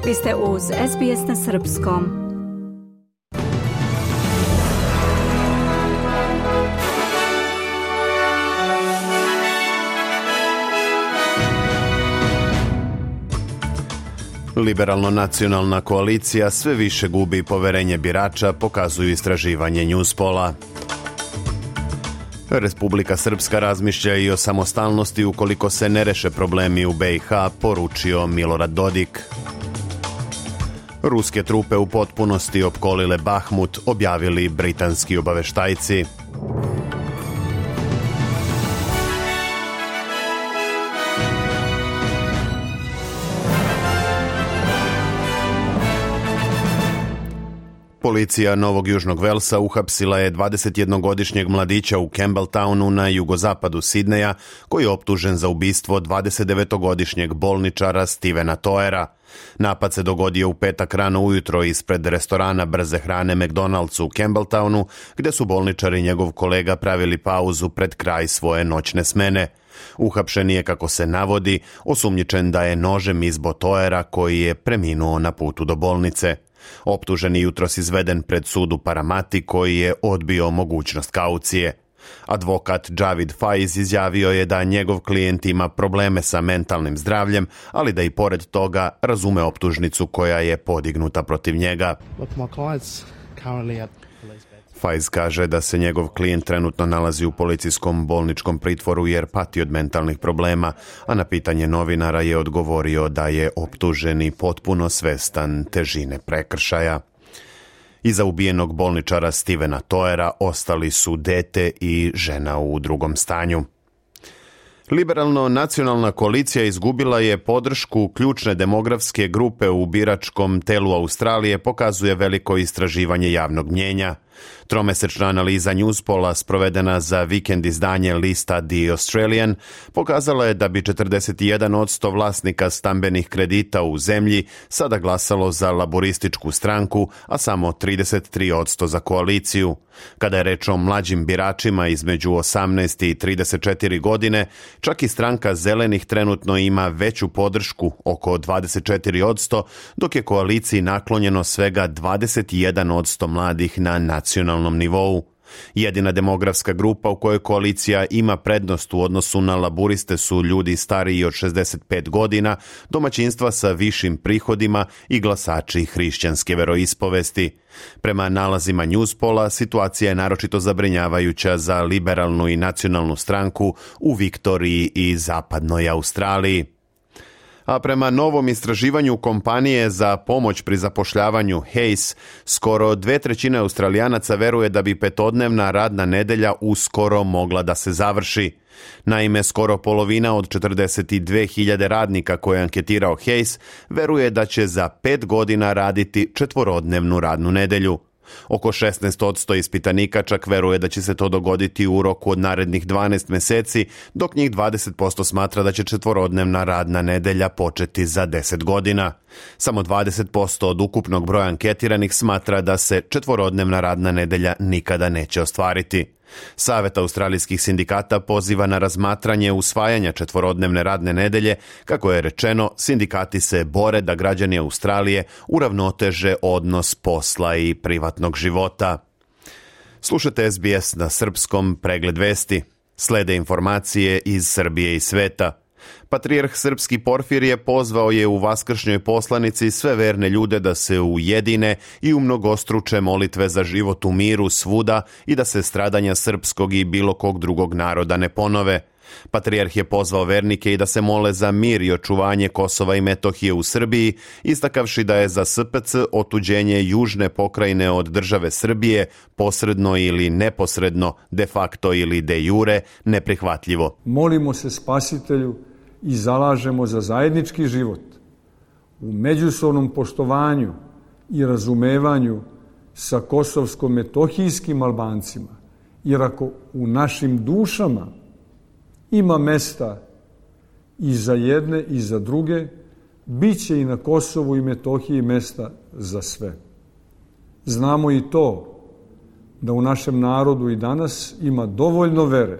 Vi ste uz SBS na srpskom. Liberalno-nacionalna koalicija sve više gubi poverenje birača, pokazuju istraživanje Newspolla. Republika Srpska razmišlja i o samostalnosti ukoliko se ne reše problemi u BiH, poručio Milorad Dodik. Ruske trupe u potpunosti opkolile Bahmut, objavili britanski obaveštajci. Policija Novog Južnog Velsa uhapsila je 21-godišnjeg mladića u Campbelltownu na jugozapadu Sidneja, koji je optužen za ubistvo 29-godišnjeg bolničara Stevena Toera. Napad se dogodio u petak rano ujutro ispred restorana brze hrane McDonald's u Campbelltownu, gde su bolničar i njegov kolega pravili pauzu pred kraj svoje noćne smene. Uhapšen je, kako se navodi, osumnjičen da je nožem izbo Toera, koji je preminuo na putu do bolnice. Optuženi jutros izveden pred sud u Paramati, koji je odbio mogućnost kaucije. Advokat Javid Faiz izjavio je da njegov klijent ima probleme sa mentalnim zdravljem, ali da i pored toga razume optužnicu koja je podignuta protiv njega. Faiz kaže da se njegov klijent trenutno nalazi u policijskom bolničkom pritvoru jer pati od mentalnih problema, a na pitanje novinara je odgovorio da je optuženi potpuno svestan težine prekršaja. Iza ubijenog bolničara Stevena Toera ostali su dete i žena u drugom stanju. Liberalno-nacionalna koalicija izgubila je podršku ključne demografske grupe u biračkom telu Australije, pokazuje veliko istraživanje javnog mnjenja. Tromesečna analiza Newspolla, sprovedena za vikend izdanje lista The Australian, pokazala je da bi 41% vlasnika stambenih kredita u zemlji sada glasalo za laborističku stranku, a samo 33% za koaliciju. Kada je reč o mlađim biračima između 18 i 34 godine, čak i stranka Zelenih trenutno ima veću podršku, oko 24%, dok je koaliciji naklonjeno svega 21% mladih na nacionalnom nivou. Jedina demografska grupa u kojoj koalicija ima prednost u odnosu na laburiste su ljudi stariji od 65 godina, domaćinstva sa višim prihodima i glasači hrišćanske veroispovesti. Prema nalazima Newspolla, situacija je naročito zabrinjavajuća za liberalnu i nacionalnu stranku u Viktoriji i zapadnoj Australiji. A prema novom istraživanju kompanije za pomoć pri zapošljavanju Hayes, skoro 2/3 Australijanaca veruje da bi petodnevna radna nedelja uskoro mogla da se završi. Naime, skoro polovina od 42.000 radnika koje je anketirao Hayes veruje da će za 5 godina raditi četvorodnevnu radnu nedelju. Oko 16% ispitanika čak veruje da će se to dogoditi u roku od narednih 12 meseci, dok njih 20% smatra da će četvorodnevna radna nedelja početi za 10 godina. Samo 20% od ukupnog broja anketiranih smatra da se četvorodnevna radna nedelja nikada neće ostvariti. Savet australijskih sindikata poziva na razmatranje usvajanja četvorodnevne radne nedelje. Kako je rečeno, sindikati se bore da građani Australije uravnoteže odnos posla i privatnog života. Slušate SBS na srpskom, pregled vesti. Slede informacije iz Srbije i sveta. Patrijarh srpski Porfirije pozvao je u vaskršnjoj poslanici sve verne ljude da se ujedine i umnogostruče molitve za život u miru svuda i da se stradanja srpskog i bilo kog drugog naroda ne ponove. Patrijarh je pozvao vernike i da se mole za mir i očuvanje Kosova i Metohije u Srbiji, istakavši da je za SPC otuđenje južne pokrajine od države Srbije posredno ili neposredno, de facto ili de jure, neprihvatljivo. Molimo se Spasitelju i zalažemo za zajednički život u međusobnom poštovanju i razumevanju sa kosovsko-metohijskim Albancima, jer ako u našim dušama ima mesta i za jedne i za druge, bit će i na Kosovu i Metohiji mesta za sve. Znamo i to da u našem narodu i danas ima dovoljno vere,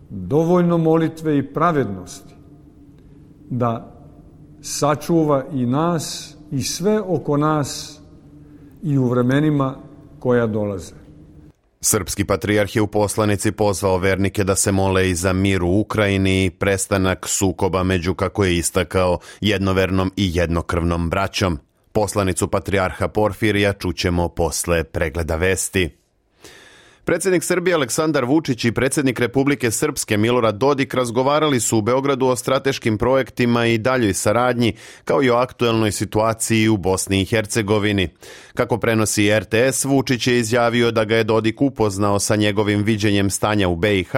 dovoljno molitve i pravednosti da sačuva i nas i sve oko nas i u vremenima koja dolaze. Srpski patrijarh je u poslanici pozvao vernike da se mole i za mir u Ukrajini i prestanak sukoba među, kako je istakao, jednovernom i jednokrvnom braćom. Poslanicu patrijarha Porfirija čućemo posle pregleda vesti. Predsjednik Srbije Aleksandar Vučić i predsjednik Republike Srpske Milorad Dodik razgovarali su u Beogradu o strateškim projektima i daljoj saradnji, kao i o aktuelnoj situaciji u Bosni i Hercegovini. Kako prenosi RTS, Vučić je izjavio da ga je Dodik upoznao sa njegovim viđenjem stanja u BiH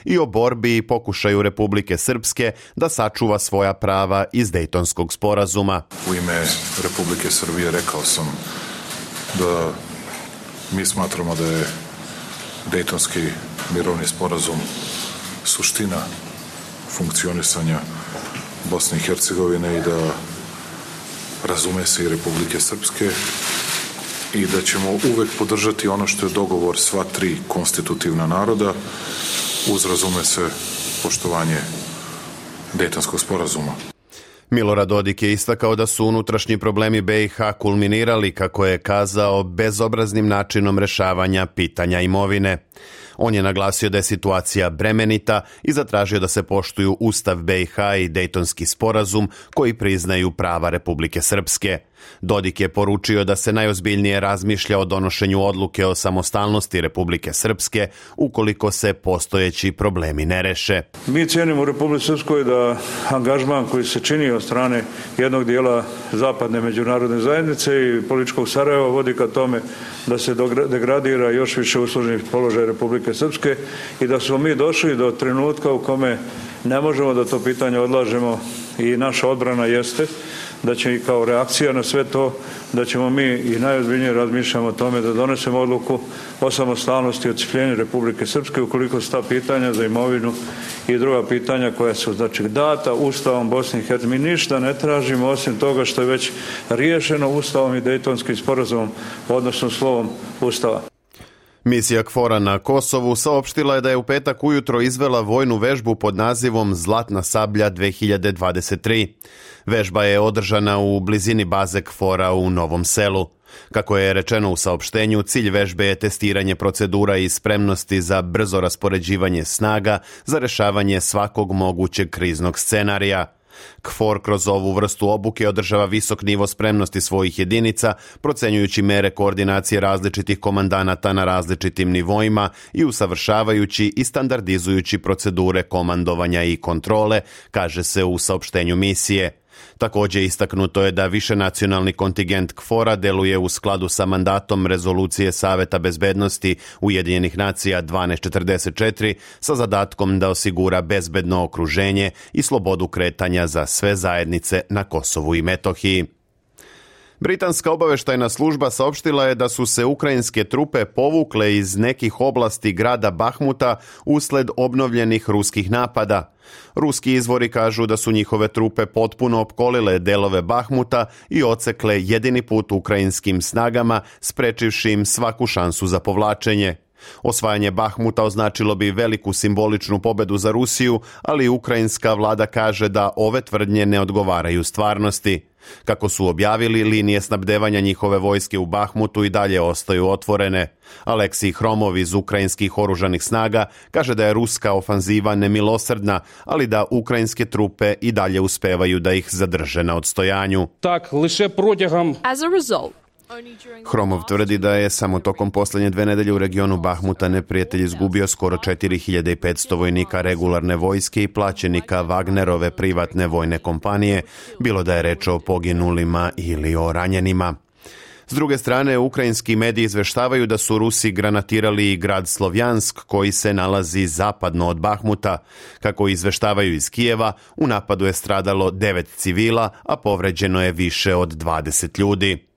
i o borbi i pokušaju Republike Srpske da sačuva svoja prava iz Dejtonskog sporazuma. U ime Republike Srbije rekao sam da mi smatramo da je Dejtonski mirovni sporazum suština funkcionisanja Bosne i Hercegovine i da razume se i Republike Srpske i da ćemo uvek podržati ono što je dogovor sva tri konstitutivna naroda uz, razume se, poštovanje Dejtonskog sporazuma. Milorad Dodik je istakao da su unutrašnji problemi BiH kulminirali, kako je kazao, bezobraznim načinom rešavanja pitanja imovine. On je naglasio da je situacija bremenita i zatražio da se poštuju Ustav BiH i Dejtonski sporazum koji priznaju prava Republike Srpske. Dodik je poručio da se najozbiljnije razmišlja o donošenju odluke o samostalnosti Republike Srpske ukoliko se postojeći problemi ne reše. Mi cijenimo u Republike Srpskoj da angažman koji se čini od strane jednog dijela zapadne međunarodne zajednice i političkog Sarajeva vodi ka tome da se degradira još više uslužni položaj Republike Srpske i da smo mi došli do trenutka u kome ne možemo da to pitanje odlažemo i naša odbrana jeste da će i kao reakcija na sve to, da ćemo mi i najozbiljnije razmišljamo o tome da donesemo odluku o samostalnosti i odcijepljenju Republike Srpske ukoliko su ta pitanja za imovinu i druga pitanja koja su data Ustavom Bosne i Hercegovine. Mi ništa ne tražimo osim toga što je već riješeno Ustavom i Dejtonskim sporazumom, odnosno slovom Ustava. Misija KFOR-a na Kosovu saopštila je da je u petak ujutro izvela vojnu vežbu pod nazivom Zlatna sablja 2023. Vežba je održana u blizini baze KFOR-a u Novom Selu. Kako je rečeno u saopštenju, cilj vežbe je testiranje procedura i spremnosti za brzo raspoređivanje snaga za rešavanje svakog mogućeg kriznog scenarija. KFOR kroz ovu vrstu obuke održava visok nivo spremnosti svojih jedinica, procenjujući mere koordinacije različitih komandanata na različitim nivoima i usavršavajući i standardizujući procedure komandovanja i kontrole, kaže se u saopštenju misije. Također istaknuto je da višenacionalni kontingent KFOR-a deluje u skladu sa mandatom rezolucije Saveta bezbednosti Ujedinjenih nacija 1244 sa zadatkom da osigura bezbedno okruženje i slobodu kretanja za sve zajednice na Kosovu i Metohiji. Britanska obaveštajna služba saopštila je da su se ukrajinske trupe povukle iz nekih oblasti grada Bahmuta usled obnovljenih ruskih napada. Ruski izvori kažu da su njihove trupe potpuno opkolile delove Bahmuta i odsekle jedini put ukrajinskim snagama, sprečivši im svaku šansu za povlačenje. Osvajanje Bahmuta označilo bi veliku simboličnu pobedu za Rusiju, ali ukrajinska vlada kaže da ove tvrdnje ne odgovaraju stvarnosti. Kako su objavili, linije snabdevanja njihove vojske u Bahmutu i dalje ostaju otvorene. Aleksij Hromov iz ukrajinskih oružanih snaga kaže da je ruska ofanziva nemilosrdna, ali da ukrajinske trupe i dalje uspevaju da ih zadrže na odstojanju. As a result, Hromov tvrdi da je samo tokom posljednje 2 nedelje u regionu Bahmuta neprijatelj izgubio skoro 4500 vojnika regularne vojske i plaćenika Wagnerove privatne vojne kompanije, bilo da je reč o poginulima ili o ranjenima. S druge strane, ukrajinski mediji izveštavaju da su Rusi granatirali i grad Slovjansk koji se nalazi zapadno od Bahmuta. Kako izveštavaju iz Kijeva, u napadu je stradalo 9 civila, a povređeno je više od 20 ljudi.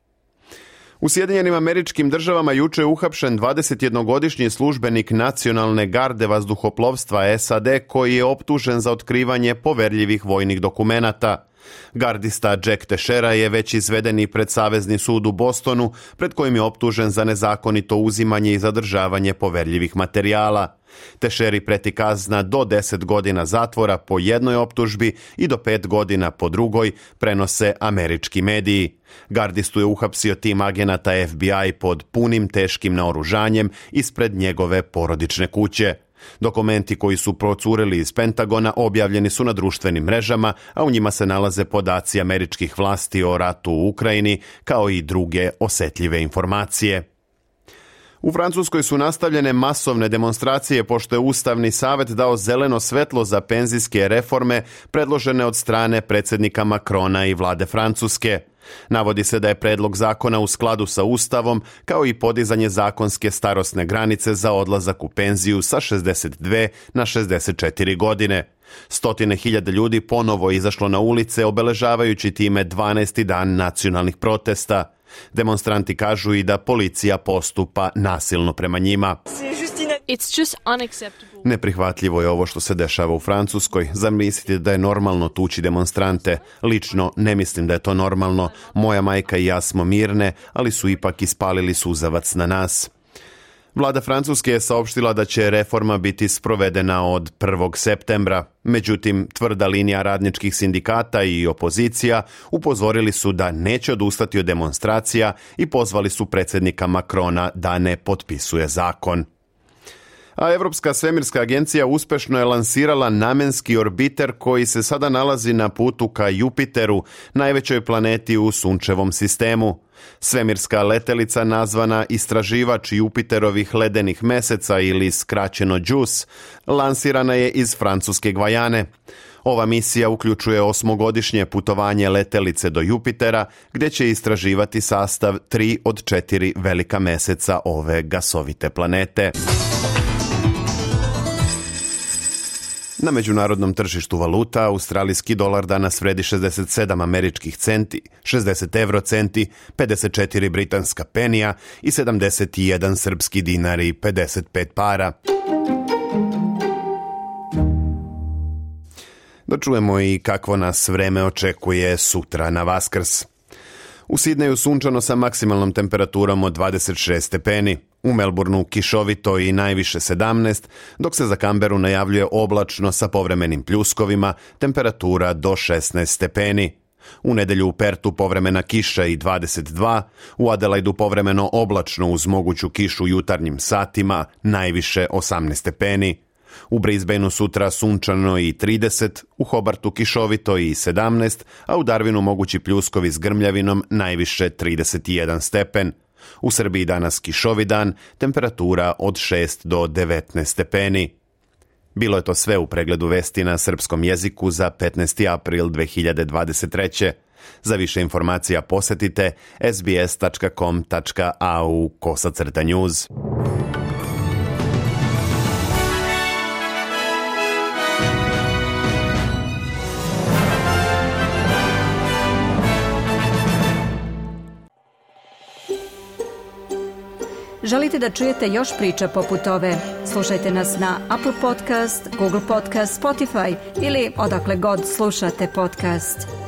U Sjedinjenim Američkim Državama juče je uhapšen 21-godišnji službenik Nacionalne garde vazduhoplovstva SAD koji je optužen za otkrivanje poverljivih vojnih dokumenata. Gardista Jack Teixeira je već izveden i pred Savezni sud u Bostonu, pred kojim je optužen za nezakonito uzimanje i zadržavanje poverljivih materijala. Teixeiri preti kazna do 10 godina zatvora po jednoj optužbi i do 5 godina po drugoj, prenose američki mediji. Gardistu je uhapsio tim agenata FBI pod punim teškim naoružanjem ispred njegove porodične kuće. Dokumenti koji su procurili iz Pentagona objavljeni su na društvenim mrežama, a u njima se nalaze podaci američkih vlasti o ratu u Ukrajini, kao i druge osetljive informacije. U Francuskoj su nastavljene masovne demonstracije pošto je Ustavni savet dao zeleno svetlo za penzijske reforme predložene od strane predsjednika Macrona i vlade Francuske. Navodi se da je predlog zakona u skladu sa Ustavom, kao i podizanje zakonske starosne granice za odlazak u penziju sa 62 na 64 godine. Stotine hiljada ljudi ponovo izašlo na ulice, obeležavajući time 12. dan nacionalnih protesta. Demonstranti kažu i da policija postupa nasilno prema njima. It's just unacceptable. Neprihvatljivo je ovo što se dešava u Francuskoj. Zamislite da je normalno tući demonstrante. Lično ne mislim da je to normalno. Moja majka i ja smo mirne, ali su ipak ispalili suzavac na nas. Vlada Francuske je saopštila da će reforma biti sprovedena od 1. septembra. Međutim, tvrda linija radničkih sindikata i opozicija upozorili su da neće odustati od demonstracija i pozvali su predsjednika Macrona da ne potpisuje zakon. A Europska svemirska agencija uspešno je lansirala namenski orbiter koji se sada nalazi na putu ka Jupiteru, najvećoj planeti u sunčevom sistemu. Svemirska letelica nazvana istraživač Jupiterovih ledenih meseca ili skraćeno JUICE, lansirana je iz francuske Gvajane. Ova misija uključuje 8-godišnje putovanje letelice do Jupitera, gdje će istraživati sastav 3 od 4 velika meseca ove gasovite planete. Na međunarodnom tržištu valuta australijski dolar danas vredi 67 američkih centi, 60 eurocenti, 54 britanska penija i 71 srpski dinar i 55 para. Da čujemo i kakvo nas vreme očekuje sutra na Vaskrs. U Sidneju sunčano sa maksimalnom temperaturom od 26 stepeni. U Melbourneu kišovito i najviše 17, dok se za Canberu najavljuje oblačno sa povremenim pljuskovima, temperatura do 16 stepeni. U nedjelju u Pertu povremena kiša i 22, u Adelaidu povremeno oblačno uz moguću kišu u jutarnjim satima, najviše 18 stepeni. U Brisbaneu sutra sunčano i 30, u Hobartu kišovito i 17, a u Darwinu mogući pljuskovi s grmljavinom, najviše 31 stepen. U Srbiji danas kišovi dan, temperatura od 6 do 19 stepeni. Bilo je to sve u pregledu vesti na srpskom jeziku za 15. april 2023. Za više informacija posjetite sbs.com.au/news. Želite da čujete još priča poput ove? Slušajte nas na Apple Podcast, Google Podcast, Spotify ili odakle god slušate podcast.